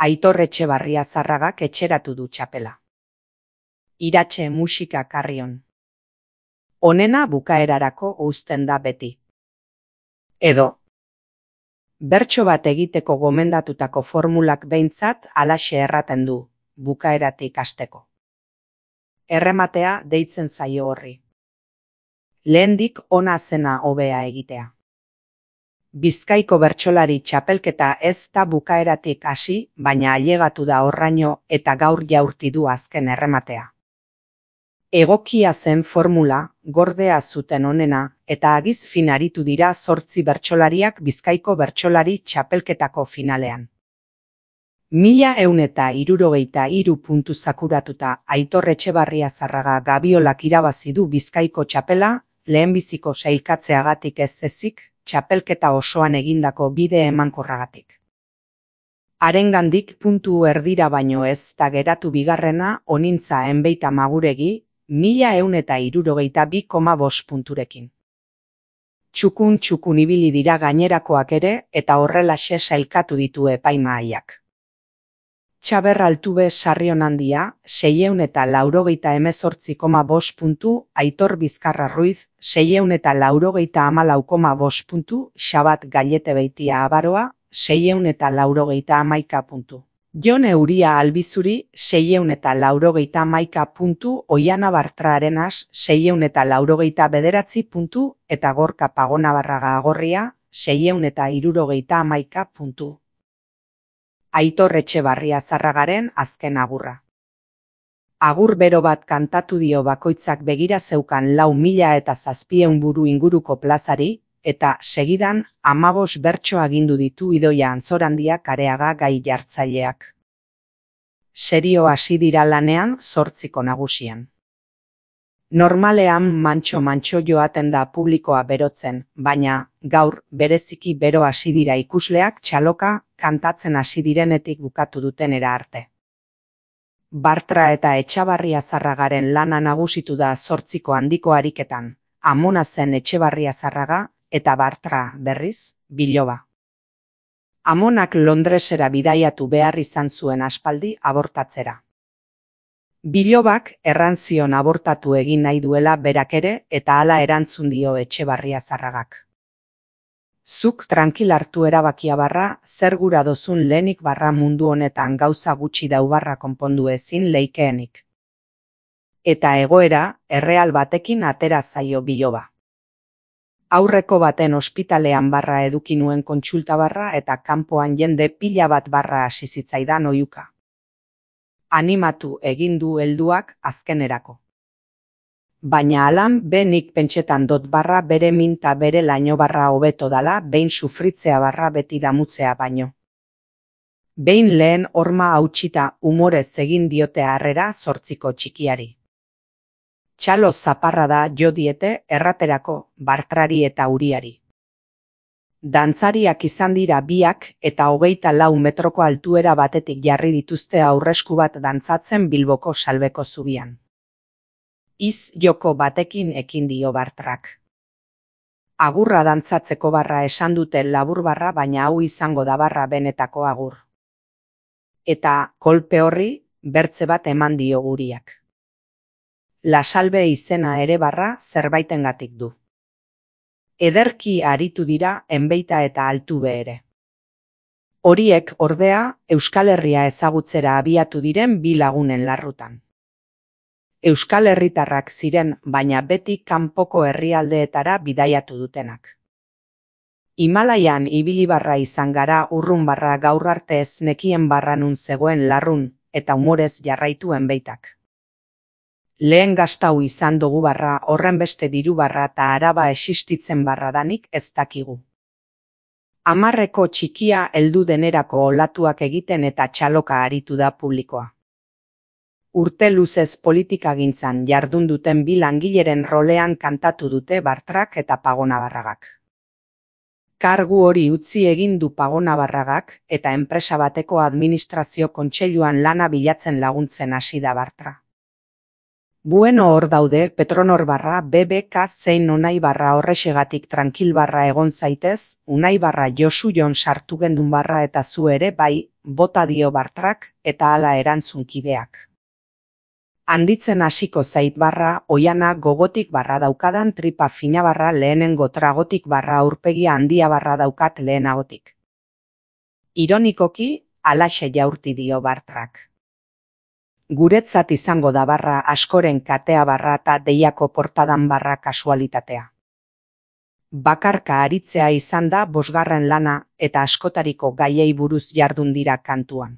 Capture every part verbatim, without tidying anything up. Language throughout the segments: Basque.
Aitor Etxebarria Zarragak etxeratu du txapela. Iratxe musika karrion. Onena bukaerarako uzten da beti. Edo. Bertso bat egiteko gomendatutako formulak behintzat halaxe erraten du, bukaeratik hasteko. Errematea deitzen zaio horri. Lehendik ona zena hobea egitea. Bizkaiko bertsolari txapelketa ez da bukaeratik hasi, baina ailegatu da horraino eta gaur jaurti du azken errematea. Egokia zen formula, gordea zuten onena, eta agiz fin aritu dira zortzi bertsolariak Bizkaiko bertsolari txapelketako finalean. Mila ehun eta hirurogeita hiru puntu zakuratuta Aitor Etxebarria Zarraga Gabiolak irabazi du Bizkaiko txapela, lehenbiziko sailkatzeagatik ez ezik, txapelketa osoan egindako bide emankorragatik. Harengandik puntu erdira baino ez da geratu bigarrena Onintza Enbeita Maguregi, mila ehun eta hirurogeita bi koma bost punturekin. Txukun txukun ibili dira gainerakoak ere eta horrelaxe sailkatu ditu epaimahaiak. Txaber Altube Sarrion Handia, seiehun eta laurogeita hemezortzi koma bost puntu, Aitor Bizkarra Ruiz, seiehun eta laurogeita hamalau koma bost puntu, Xabat Gallete Beitia Abaroa, seiehun eta laurogeita hamaika puntu. Jon Euria Albizuri, seiehun eta laurogeita hamaika puntu, Oiana Bartra Arenas, seiehun eta laurogeita bederatzi puntu, eta Gorka Pagonabarraga Agorria, seiehun eta hirurogeita hamaika puntu. Aitor Etxebarria Zarragaren azken agurra. Agur bero bat kantatu dio bakoitzak begira zeukan lau mila eta zazpieun buru inguruko plazari, eta segidan amabos bertso agindu ditu Idoia Antzorandia Areaga gai jartzaileak. Serio hasi dira lanean zortziko nagusian. Normalean mantxo-mantxo joaten da publikoa berotzen, baina gaur bereziki bero hasi dira ikusleak txaloka kantatzen hasi direnetik bukatu dutenera arte. Bartra eta Etxebarria Zarragaren lana nagusitu da zortziko handiko ariketan, Amona zen Etxebarria Zarraga eta Bartra, berriz, biloba. Amonak Londresera bidaiatu behar izan zuen aspaldi abortatzera. Bilobak erran zion abortatu egin nahi duela berak ere eta hala erantzun dio Etxebarria Zarragak. Zuk tranquil hartu erabakia barra, zer gura dozun lehenik barra mundu honetan gauza gutxi daubarra konpondu ezin leikeenik. Eta egoera, erreal batekin atera zaio biloba. Aurreko baten ospitalean barra eduki nuen kontsulta barra eta kanpoan jende pila bat barra hasi zitzaidan oihuka. Animatu egin du helduak azkenerako. Baina alan benik pentsetan dot barra bere minta bere laino barra hobeto dala behin sufritzea barra beti damutzea baino. Behin lehen horma hautsita umorez egin diote harrera zortziko txikiari. Txalo zaparra da jo diete erraterako Bartrari eta Uriari. Dantzariak izan dira biak eta hogeita lau metroko altuera batetik jarri dituzte aurresku bat dantzatzen Bilboko Salbeko zubian. Iz joko batekin ekin dio Bartrak. Agurra dantzatzeko barra esan dute labur barra baina hau izango da barra benetako agur. Eta kolpe horri bertze bat eman dio Uriak. La Salbe izena ere barra zerbaitengatik du. Ederki aritu dira Enbeita eta Altube ere. Horiek ordea Euskal Herria ezagutzera abiatu diren bi lagunen larrutan. Euskal Herritarrak ziren, baina beti kanpoko herrialdeetara bidaiatu dutenak. Himalaian ibili barra izan gara urrun barra gaur arte ez nekien barra nun zegoen larrun, eta umorez jarraitu Enbeitak. Lehen gaztau izan dugu barra horren beste diru barra eta araba existitzen barra danik ez dakigu. Hamarreko txikia heldu denerako olatuak egiten eta txaloka aritu da publikoa. Urte luzez politikagintzan jardun duten bi langileren rolean kantatu dute Bartrak eta Pagonabarragak. Kargu hori utzi egin du Pagonabarragak eta enpresa bateko administrazio kontseiluan lana bilatzen laguntzen hasi da Bartra. Bueno hor daude Petronor barra B B K zein Unai barra horrexegatik tranquil barra egon zaitez, Unai barra Josu Jon sartu gendun barra eta zu ere bai, bota dio Bartrak eta hala erantzunkideak. Handitzen hasiko zait barra, oiana gogotik barra daukadan tripa fina barra lehenengo tragotik barra aurpegia handia barra daukat lehenagotik. Ironikoki, halaxe jaurti dio Bartrak. Guretzat izango da barra askoren katea barra eta deiako portadan barra kasualitatea. Bakarka aritzea izan da bosgarren lana eta askotariko gaiei buruz jardun dira kantuan.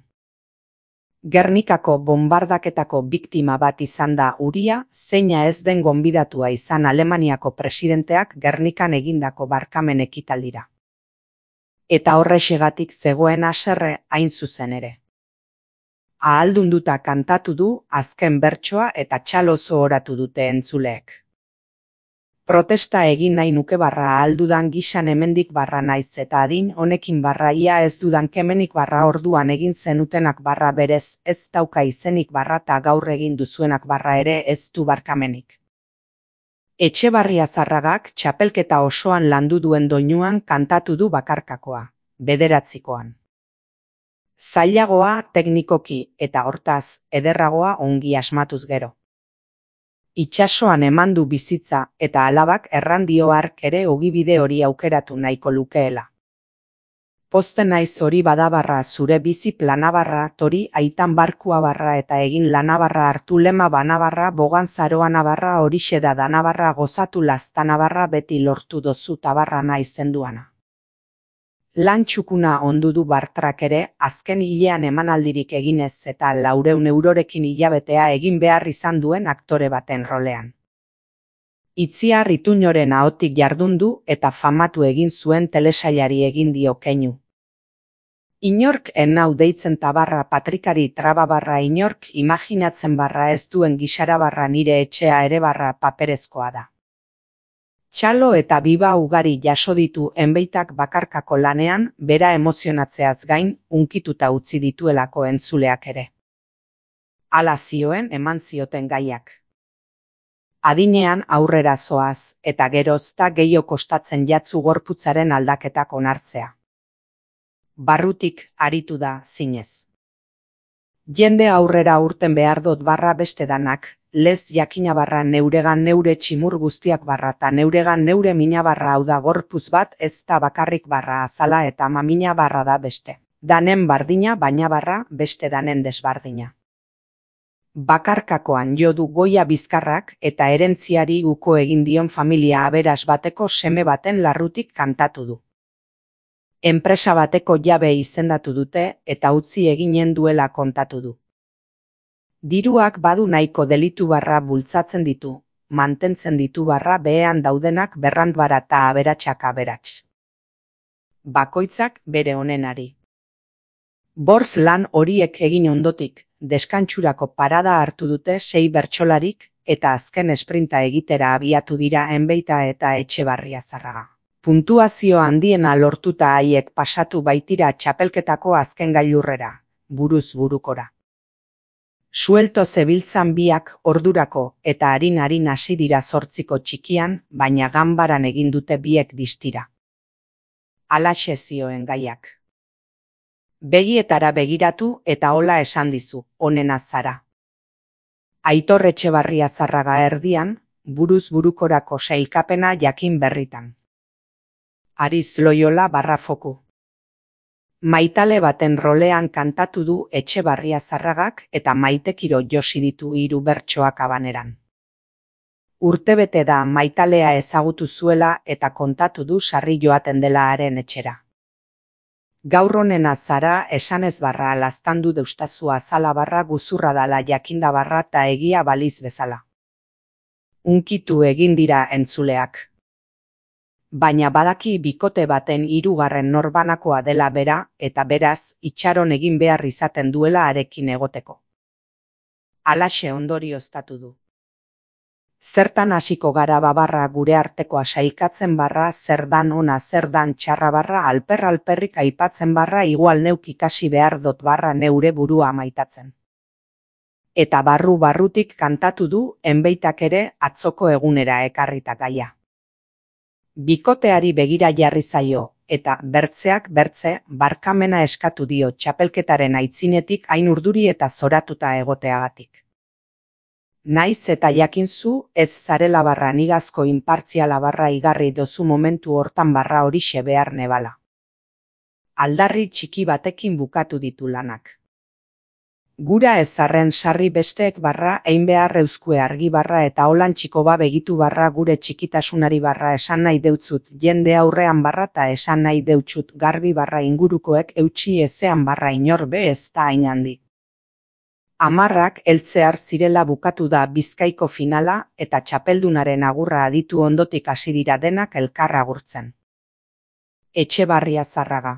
Gernikako bombardaketako biktima bat izan da Uria, zeina ez den gonbidatua izan Alemaniako presidenteak Gernikan egindako barkamen ekitaldira. Eta horrexegatik zegoen haserre hain zuzen ere. Ahaldunduta kantatu du azken bertsoa eta txalozo oratu dute entzuleek. Protesta egin nahi nuke barra ahaldudan gisan hemendik barra naiz eta adin honekin barra ia ez dudan kemenik barra orduan egin zenutenak barra berez ez dauka izenik barra ta gaur egin duzuenak barra ere ez du barkamenik. Etxebarria Zarragak txapelketa osoan landu duen doinuan kantatu du bakarkakoa, bederatzikoan. Zailagoa teknikoki eta hortaz ederragoa ongi asmatuz gero. Itsasoan eman du bizitza eta alabak errandio hark ere ogibide hori aukeratu nahiko lukeela. Posten naiz hori badabarra zure bizi planabarra tori aitan barkua barra eta egin lanabarra hartu lema banabarra bogan zaroa nabarra horixe da danabarra gozatu laztanabarra beti lortu dozu tabarra naizenduana. Lan txukuna ondu du Bartrak ere, azken hilean emanaldirik eginez eta laureun eurorekin hilabetea egin behar izan duen aktore baten rolean. Itziar Ituñoren ahotik jardun du eta famatu egin zuen telesailari egin dio keinu. Inork enau deitzen tabarra patrikari traba barra inork imaginatzen barra ez duen gisara barra nire etxea ere barra paperezkoa da. Txalo eta biba ugari jaso ditu enbeitak bakarkako lanean, bera emozionatzeaz gain, unkituta utzi dituelako entzuleak ere. Hala zioen eman zioten gaiak. Adinean aurrera zoaz, eta gerozta gehiago kostatzen jatzu gorputzaren aldaketak onartzea. Barrutik aritu da zinez. Jende aurrera urten behar dut barra beste danak, lez jakina barra neuregan neure tximur guztiak barra eta neuregan neure mina barra hau da gorpuz bat ez da bakarrik barra azala eta mamina barra da beste. Danen bardina baina barra beste danen desbardina. Bakarkakoan jo du Goia Bizkarrak eta erentziari uko egin dion familia aberas bateko seme baten larrutik kantatu du. Enpresa bateko jabe izendatu dute eta utzi eginen duela kontatu du. Diruak badu nahiko delitu barra bultzatzen ditu, mantentzen ditu barra behean daudenak berrandbara eta aberatsak aberats. Bakoitzak bere onenari. Borz lan horiek egin ondotik, deskantsurako parada hartu dute sei bertsolarik eta azken esprinta egitera abiatu dira Enbeita eta Etxebarria Zarraga. Puntuazio handiena lortuta haiek pasatu baitira txapelketako azken gailurrera, buruz burukora. Suelto zebiltzan biak ordurako eta harin-harin hasi dira zortziko txikian, baina ganbaran egin dute biek distira. Halaxe zioen gaiak. Begietara begiratu eta hola esan dizu, onena zara. Aitor Etxebarria Zarraga erdian, buruz burukorako sailkapena jakin berritan. Ariz Loyola barra foku. Maitale baten rolean kantatu du Etxebarria Zarragak eta Maitekiro josi ditu hiru bertsoak abaneran. Urtebete da Maitalea ezagutu zuela eta kontatu du sarri joaten dela haren etxera. Gaur honena zara esanez barra laztandu deustazu azala barra guzurra dala jakinda barra eta egia baliz bezala. Unkitu egin dira entzuleak. Baina badaki bikote baten hirugarren norbanakoa dela bera eta beraz itxaron egin behar izaten duela harekin egoteko. Halaxe ondorioztatu du. Zertan hasiko gara babarra gure artekoa sailkatzen barra zer dan ona zer dan txarra barra alper alperrik aipatzen barra igual neuk ikasi behar dot barra neure burua maitatzen. Eta barru-barrutik kantatu du enbeitak ere atzoko egunera ekarrita gaia. Bikoteari begira jarri zaio, eta bertzeak bertze barkamena eskatu dio txapelketaren aitzinetik hain urduri eta zoratuta egoteagatik. Naiz eta jakinzu ez zarela barra nigazko inpartziala barra igarri dozu momentu hortan barra horixe behar nebala. Aldarri txiki batekin bukatu ditu lanak. Gura ezarren sarri besteek barra ein behar euskue argi barra eta holan txiko ba begitu barra gure txikitasunari barra esan nahi deutzut jende aurrean barra eta esan nahi deutzut garbi barra ingurukoek eutxi ezean barra inorbe ez da hain handi. Amarrak heltzear zirela bukatu da Bizkaiko finala eta txapeldunaren agurra aditu ondotik hasi dira denak elkar agurtzen. Etxebarria Zarraga.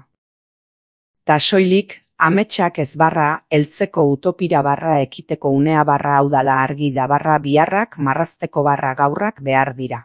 Ta soilik, ametsak ez barra, heltzeko utopira barra ekiteko unea barra haudala argi da barra biharrak marrazteko barra gaurrak behar dira.